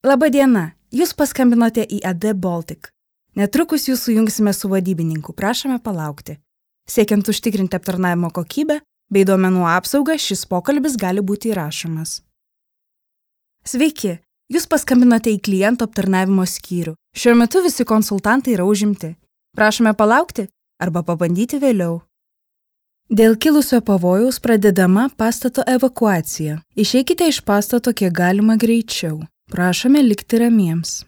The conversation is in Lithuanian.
Labą dieną, jūs paskambinote į AD Baltic. Netrukus jūs sujungsime su vadybininku, prašome palaukti. Siekiant užtikrinti aptarnavimo kokybę bei duomenų apsaugą, šis pokalbis gali būti įrašomas. Sveiki, jūs paskambinote į klientų aptarnavimo skyrių. Šiuo metu visi konsultantai yra užimti. Prašome palaukti arba pabandyti vėliau. Dėl kilusio pavojaus pradedama pastato evakuacija. Išeikite iš pastato kiek galima greičiau. Prašome likti ramiems.